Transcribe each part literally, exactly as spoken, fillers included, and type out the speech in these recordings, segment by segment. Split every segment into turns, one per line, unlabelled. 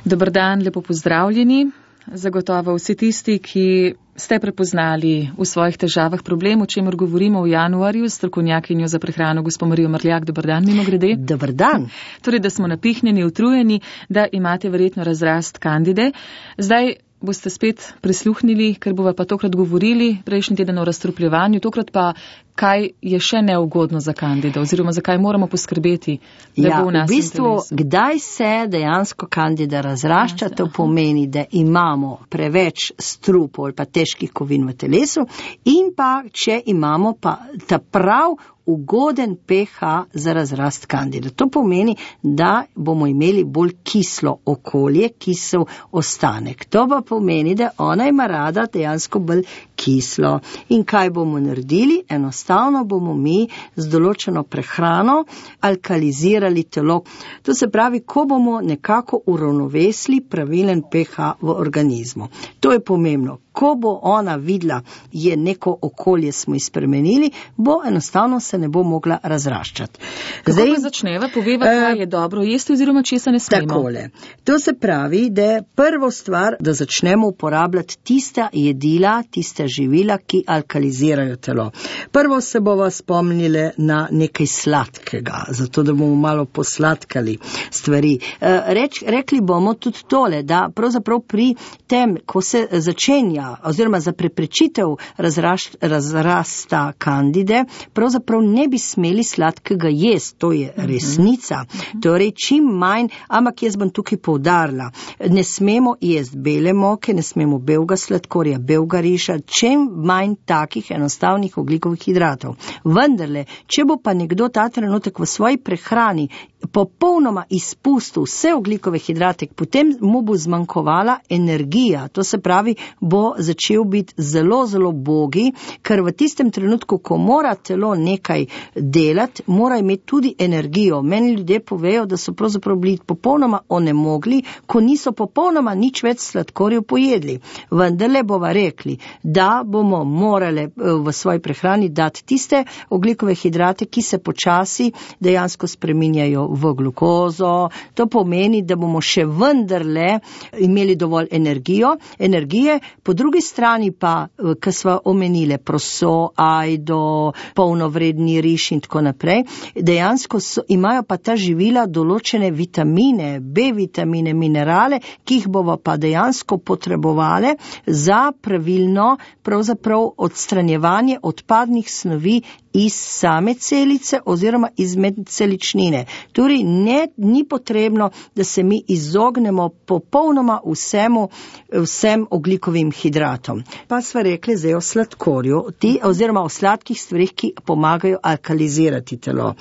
Dober dan, lepo pozdravljeni. Zagotovo vsi tisti, ki ste prepoznali v svojih težavah problem, o čemer govorimo v januarju s strokovnjakinjo za prehrano gospo Marijo Mrljak. Dober dan, mimo grede.
Dober dan.
Torej, da smo napihnjeni, utrujeni, da imate verjetno razrast kandide. Zdaj boste spet prisluhnili, ker bova pa tokrat govorili prejšnji teden o razstrupljevanju, tokrat pa kaj je še neugodno za kandido oziroma zakaj moramo poskrbeti, da
ja,
bo v nas
v bistvu,
interesu.
Kdaj se dejansko kandida razrašča, to pomeni, da imamo preveč strupov ali pa težkih kovin v telesu in pa, če imamo pa ta prav ugoden pH za razrast kandida. To pomeni, da bomo imeli bolj kislo okolje, kisel ostanek. To pa pomeni, da ona ima rada dejansko bolj kislo. In kaj bomo naredili? Enostavno bomo mi z določeno prehrano alkalizirali telo. To se pravi, ko bomo nekako uravnovesili pravilen pH v organizmu. To je pomembno. Ko bo ona videla, je neko okolje smo izpremenili, bo enostavno se ne bo mogla razraščati.
Kako Zdaj, pa začneva? Poveva, kaj je dobro jesti oziroma česa ne smemo?
Takole. To se pravi, da je prvo stvar, da začnemo uporabljati tista jedila, tista živila, ki alkalizirajo telo. Prvo se bova spomnili na nekaj sladkega, zato da bomo malo posladkali stvari. Reč, rekli bomo tudi tole, da pravzaprav pri tem, ko se začenja oziroma za preprečitev razraš, razrasta kandide, pravzaprav ne bi smeli sladkega jesti, to je resnica. Torej, čim manj, ampak jaz bom tukaj poudarila, ne smemo jesti bele moke, ne smemo belega sladkorja, belega riža, čim manj takih enostavnih ogljikovih hidratov. Vendarle, če bo pa nekdo ta trenutek v svoji prehrani popolnoma izpustil vse ogljikove hidrate, potem mu bo zmanjkovala energija. To se pravi, bo začel biti zelo, zelo bogi, ker v tistem trenutku, ko mora telo nekaj delati, mora imeti tudi energijo. Meni ljudje povejo, da so pravzaprav bili popolnoma onemogli, ko niso popolnoma nič več sladkorjev pojedli. Vendarle bova rekli, da bomo morali v svoji prehrani dati tiste ogljikove hidrate, ki se počasi dejansko spreminjajo v glukozo. To pomeni, da bomo še vendarle imeli dovolj energijo, energije, po drugi strani pa, ki sva omenile proso, ajdo, polnovredni riž in tako naprej, dejansko so, imajo pa ta živila določene vitamine, B vitamine, minerale, ki jih bomo pa dejansko potrebovali za pravilno pravzaprav odstranjevanje odpadnih snovi iz same celice oziroma iz medceličnine. Torej, ne, ni potrebno, da se mi izognemo popolnoma vsemu, vsem ogljikovim hidratom. Pa sva rekli zdaj o sladkorju, ti, oziroma o sladkih stvarih, ki pomagajo alkalizirati telo.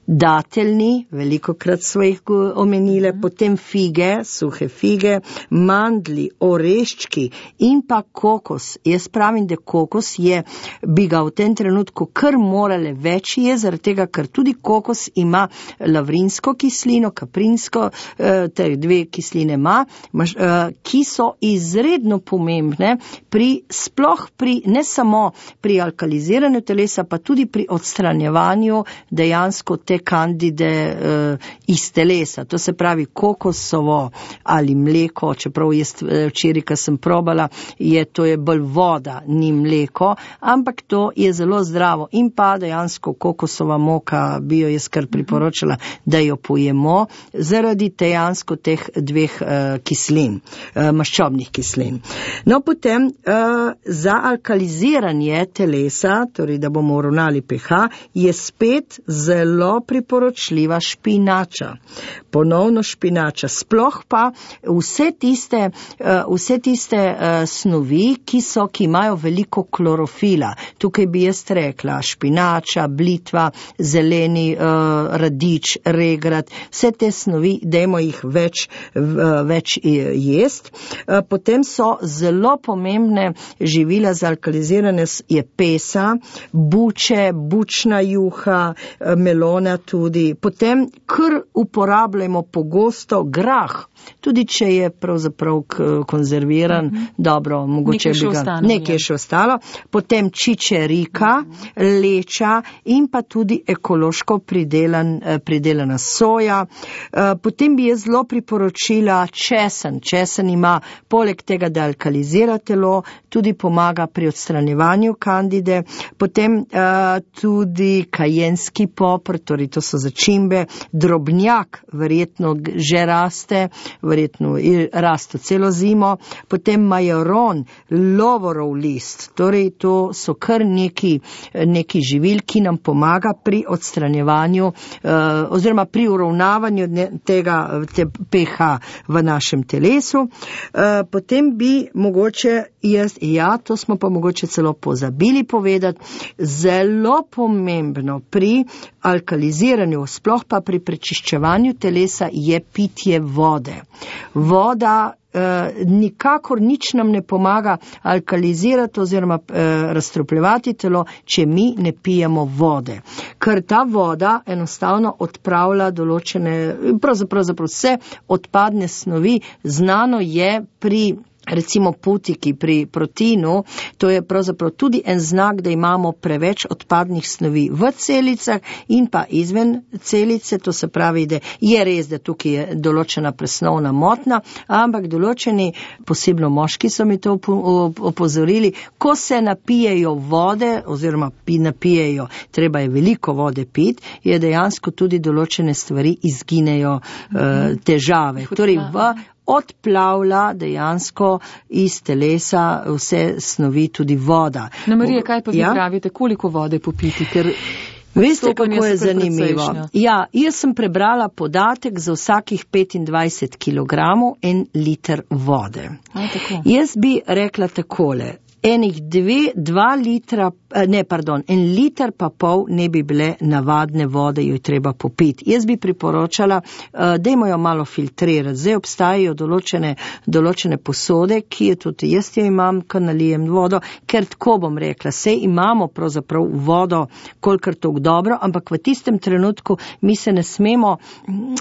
Dateljni, veliko krat sva jih omenile, potem fige, suhe fige, mandli, oreščki in pa kokos. Jaz pravim, da kokos je, bi ga v tem trenutku kar morale več je, zaradi tega, ker tudi kokos ima lavrinsko kislino, kaprinsko, ter dve kisline ima, ki so izredno pomembne pri, sploh pri, ne samo pri alkaliziranju telesa, pa tudi pri odstranjevanju dejansko te kandide iz telesa. To se pravi kokosovo ali mleko, čeprav jaz včeraj, ko sem probala, je, to je bolj voda, ni mleko, ampak to je zelo zdravo in pa dejansko kokosova moka bi jo jaz kar priporočala, da jo pojemo zaradi dejansko teh dveh uh, kislin, uh, maščobnih kislin. No, potem uh, za alkaliziranje telesa, torej da bomo uravnali pH, je spet zelo priporočljiva špinača. Ponovno špinača. Sploh pa vse tiste, uh, vse tiste uh, snovi, ki so, ki imajo veliko klorofila. Tukaj bi jaz rekla špinača, blitva, zeleni uh, radič, regrat, vse te snovi, dajmo jih več, uh, več jest. Uh, potem so zelo pomembne živila za alkalizirane, je pesa, buče, bučna juha, uh, melona, tudi. Potem kar uporabljamo pogosto grah, tudi če je pravzaprav konzerviran, uh-huh. dobro, mogoče
nekaj
bi ga
ostalo,
nekaj še ostalo. Potem čičerika, uh-huh. leča in pa tudi ekološko pridelan, pridelana soja. Potem bi jaz zelo priporočila česen. Česen ima poleg tega, da alkalizira telo, tudi pomaga pri odstranjevanju kandide. Potem tudi kajenski popr, torej to so začimbe, drobnjak verjetno že raste, verjetno raste celo zimo, potem majoron, lovorov list, torej to so kar neki, neki živil, ki nam pomaga pri odstranjevanju eh, oziroma pri uravnavanju tega te pH v našem telesu. Eh, potem bi mogoče jaz, ja, to smo pa mogoče celo pozabili povedati, zelo pomembno pri alkaliziranju, sploh pa pri prečiščevanju telesa je pitje vode. Voda eh, nikakor nič nam ne pomaga alkalizirati oziroma eh, razstrupljevati telo, če mi ne pijemo vode. Ker ta voda enostavno odpravlja določene, pravzaprav, pravzaprav vse odpadne snovi, znano je pri recimo putiki, pri proteinu, to je pravzaprav tudi en znak, da imamo preveč odpadnih snovi v celicah in pa izven celice, to se pravi, da je res, da tukaj je določena presnovna motnja, ampak določeni, posebno moški so mi to opozorili, ko se napijejo vode oziroma napijejo, treba je veliko vode piti, je dejansko tudi določene stvari izginejo uh, težave. Torej v odplavlja dejansko iz telesa vse snovi, tudi voda.
Na Marija, kaj pa vi ja? pravite, koliko vode popiti? Ker
veste, kako je zanimivo. Ja, jaz sem prebrala podatek za vsakih petindvajset kilogramov en liter vode.
A, tako.
Jaz bi rekla takole, enih dve, dva litra, ne, pardon, en liter pa pol ne bi bile navadne vode, jo je treba popiti. Jaz bi priporočala, dajmo jo malo filtrirati. Zdaj obstajajo določene, določene posode, ki je tudi jaz jo imam, ko nalijem vodo, ker tako bom rekla, sej imamo pravzaprav vodo, kolikor toliko dobro, ampak v tistem trenutku mi se ne smemo,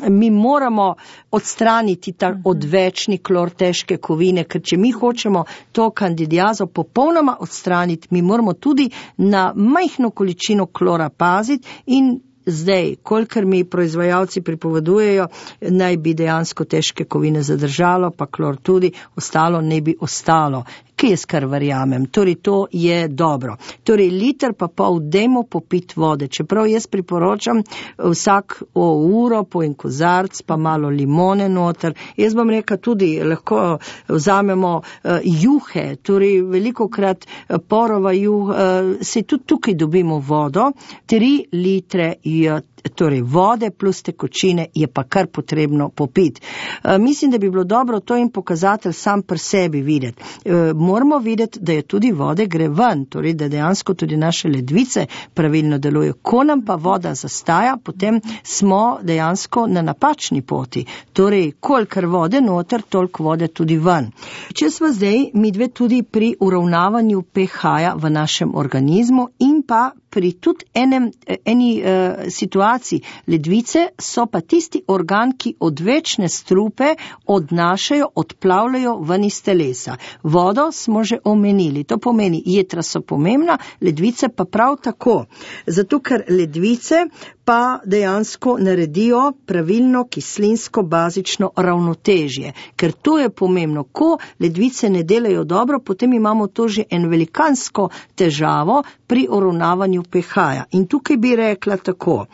mi moramo odstraniti ta odvečni klor, težke kovine, ker če mi hočemo to kandidiazo popolnoma odstraniti, mi moramo tudi na majhno količino klora paziti in zdaj, kolikor mi proizvajalci pripovedujejo, naj bi dejansko težke kovine zadržalo, pa klor tudi, ostalo ne bi ostalo. Kaj jaz kar verjamem, torej to je dobro. Torej liter pa pol dajmo popiti vode, čeprav jaz priporočam vsak o uro po en kozarc, pa malo limone noter. Jaz bom rekla tudi, lahko vzamemo uh, juhe, torej velikokrat uh, porova juh, uh, se tudi tukaj dobimo vodo, tri litre je torej vode plus tekočine je pa kar potrebno popiti. E, mislim, da bi bilo dobro to in pokazatelj sam pri sebi videti. E, moramo videti, da je tudi vode gre ven, torej da dejansko tudi naše ledvice pravilno delujejo. Ko nam pa voda zastaja, potem smo dejansko na napačni poti. Torej, kolikor vode noter, toliko vode tudi ven. Če smo zdaj mi dve tudi pri uravnavanju pH-ja v našem organizmu in pa pri tudi enem, eni uh, situaciji. Ledvice so pa tisti organ, ki odvečne strupe odnašajo, odplavljajo ven iz telesa. Vodo smo že omenili, to pomeni, jetra so pomembna, ledvice pa prav tako. Zato, ker ledvice pa dejansko naredijo pravilno kislinsko-bazično ravnotežje. Ker to je pomembno. Ko ledvice ne delajo dobro, potem imamo to že en velikansko težavo pri uravnavanju pH-ja. In tukaj bi rekla tako,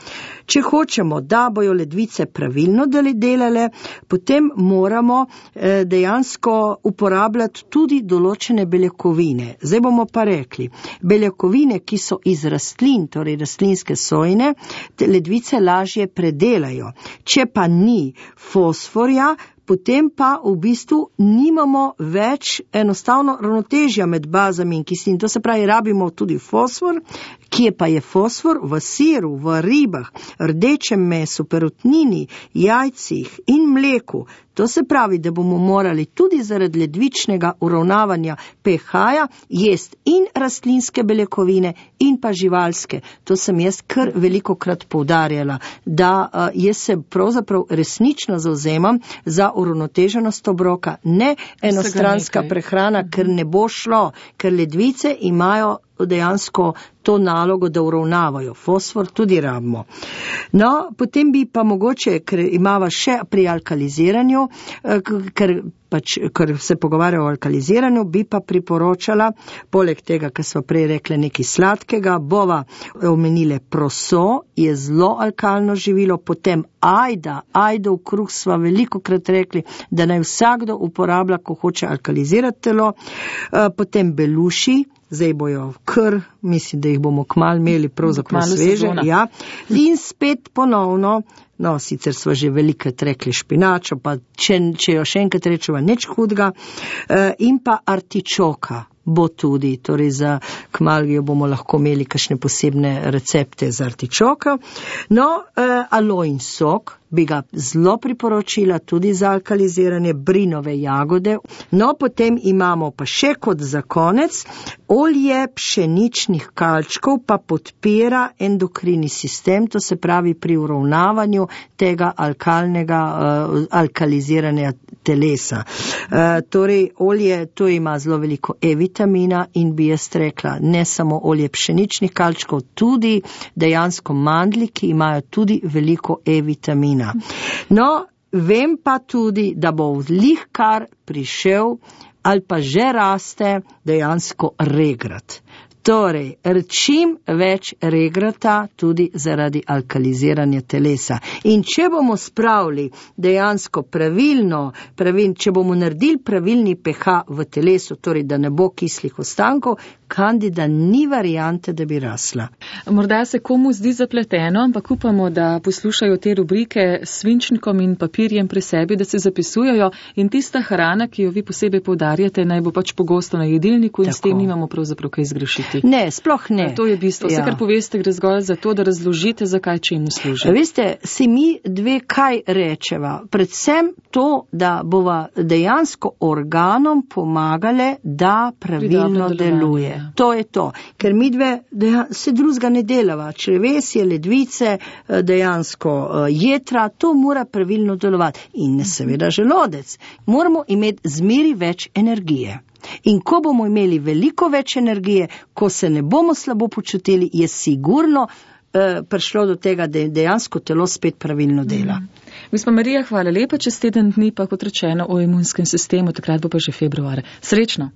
če hočemo, da bojo ledvice pravilno delale, potem moramo eh, dejansko uporabljati tudi določene beljakovine. Zdaj bomo pa rekli, beljakovine, ki so iz rastlin, torej rastlinske sojine, ledvice lažje predelajo. Če pa ni fosforja, potem pa v bistvu nimamo več enostavno ravnotežja med bazami in kislin. To se pravi, rabimo tudi fosfor, kje pa je fosfor? V siru, v ribah, rdečem mesu, perutnini, jajcih in mleku. To se pravi, da bomo morali tudi zaradi ledvičnega uravnavanja pH-ja jesti in rastlinske beljakovine in pa živalske. To sem jaz kar veliko krat poudarjala, da uh, jaz se pravzaprav resnično zauzemam za uravnoteženost obroka, ne enostranska prehrana, ker ne bo šlo, ker ledvice imajo dejansko to nalogo, da uravnavajo. Fosfor tudi rabimo. No, potem bi pa mogoče, ker imava še pri alkaliziranju, ker, pač, ker se pogovarja o alkaliziranju, bi pa priporočala, poleg tega, kar smo prej rekli nekaj sladkega, bova omenile proso, je zelo alkalno živilo, potem ajda, ajdov kruh sva veliko krat rekli, da naj vsakdo uporablja, ko hoče alkalizirati telo, potem beluši, zdaj bojo kr, mislim, da jih bomo kmalu imeli pravzaprav sveže. Ja. In spet ponovno, no, sicer sva že velikrat rekli špinačo, pa če, če jo še enkrat rečeva, nič hudega, in pa artičoka bo tudi, torej za kmalu jo bomo lahko imeli kakšne posebne recepte za artičoka. No, alojin sok bi ga zelo priporočila tudi za alkaliziranje, brinove jagode. No, potem imamo pa še kot za konec, olje pšeničnih kalčkov pa podpira endokrini sistem, to se pravi pri uravnavanju tega alkalnega, uh, alkaliziranja telesa. Uh, torej, olje, to ima zelo veliko E-vitamina in bi jaz rekla, ne samo olje pšeničnih kalčkov, tudi dejansko mandlji, ki imajo tudi veliko E-vitamina. No, vem pa tudi, da bo vlihkar prišel ali pa že raste dejansko regrat. Torej, čim več regrata tudi zaradi alkaliziranja telesa. In če bomo spravili dejansko pravilno, pravil, če bomo naredili pravilni pH v telesu, torej da ne bo kislih ostankov, kandida ni variante, da bi rasla.
Morda se komu zdi zapleteno, ampak upamo, da poslušajo te rubrike s svinčnikom in papirjem pri sebi, da se zapisujejo in tista hrana, ki jo vi posebej poudarjate, naj bo pač pogosto na jedilniku in Tako. S tem nimamo pravzaprav kaj zgrešiti.
Ne, sploh ne.
To je bistvo. Vse, ja. Kar poveste, gre zgolj za to, da razložite, zakaj čemu služi.
Veste, si mi dve kaj rečeva. Predvsem to, da bova dejansko organom pomagale, da pravilno deluje. To je to, ker mi dve se drugega ne delava, črevesje, ledvice, dejansko jetra, to mora pravilno delovati. In seveda želodec. Moramo imeti zmeri več energije. In ko bomo imeli veliko več energije, ko se ne bomo slabo počutili, je sigurno eh, prišlo do tega, da dejansko telo spet pravilno dela.
Gospa Marija, hvala lepa, čez teden dni pa kot rečeno o imunskem sistemu, takrat bo pa že februar. Srečno!